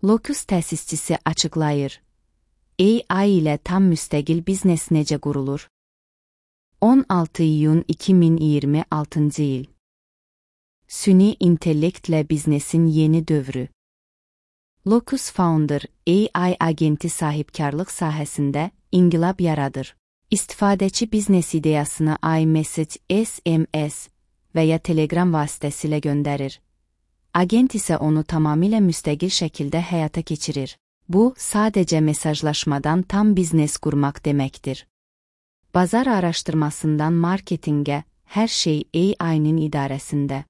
Locus təsisçisi açıqlayır. AI ilə tam müstəqil biznes necə qurulur? 16 iyun 2026 il. Süni intellektlə biznesin yeni dövrü. Locus Founder, AI agenti sahibkarlıq sahəsində inqilab yaradır. İstifadəçi biznes ideyasını iMessage, SMS və ya Telegram vasitəsilə göndərir. Agent isə onu tamamilə müstəqil şəkildə həyata keçirir. Bu, sadəcə mesajlaşmadan tam biznes qurmaq deməkdir. Bazar araşdırmasından marketinqə, hər şey AI-nin idarəsində.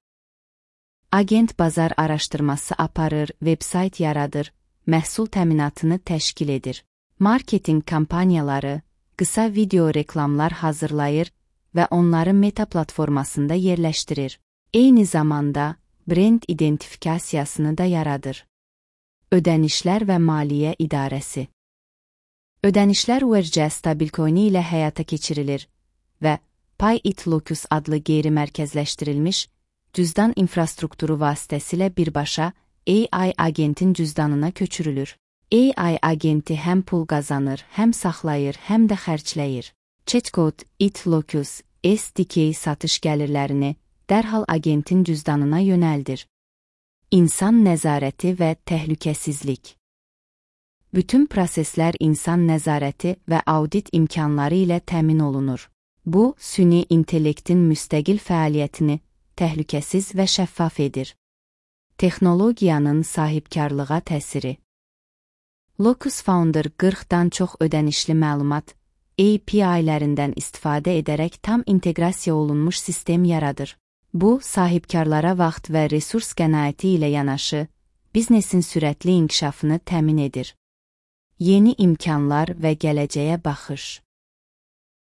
Agent bazar araşdırması aparır, veb-sayt yaradır, məhsul təminatını təşkil edir. Marketinq kampaniyaları, qısa video reklamlar hazırlayır və onları Meta platformasında yerləşdirir. Eyni zamanda, brend identifikasiyasını da yaradır. Ödənişlər və maliyyə idarəsi. Ödənişlər URC stablecoin ilə həyata keçirilir və PayIt-Locus adlı qeyri-mərkəzləşdirilmiş cüzdan infrastrukturu vasitəsilə birbaşa AI agentin cüzdanına köçürülür. AI agenti həm pul qazanır, həm saxlayır, həm də xərcləyir. Chatbot IT-Locus SDK satış gəlirlərini dərhal agentin cüzdanına yönəldir. İnsan nəzarəti və təhlükəsizlik. Bütün proseslər insan nəzarəti və audit imkanları ilə təmin olunur. Bu, süni intellektin müstəqil fəaliyyətini təhlükəsiz və şəffaf edir. Texnologiyanın sahibkarlığa təsiri. Locus Founder 40-dan çox ödənişli məlumat API-lərindən istifadə edərək tam inteqrasiya olunmuş sistem yaradır. Bu, sahibkarlara vaxt və resurs qənaəti ilə yanaşı, biznesin sürətli inkişafını təmin edir. Yeni imkanlar və gələcəyə baxış.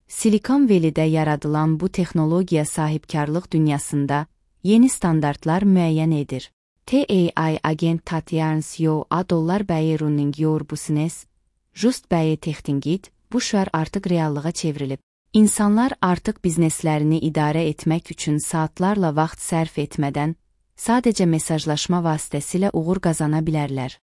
Silikon Valley'də yaradılan bu texnologiya sahibkarlıq dünyasında yeni standartlar müəyyən edir. AI agent Tatyarns yo $1 bəyi running your business, just bəyi textingit, bu şüar artıq reallığa çevrilib. İnsanlar artıq bizneslərini idarə etmək üçün saatlarla vaxt sərf etmədən, sadəcə mesajlaşma vasitəsilə uğur qazana bilərlər.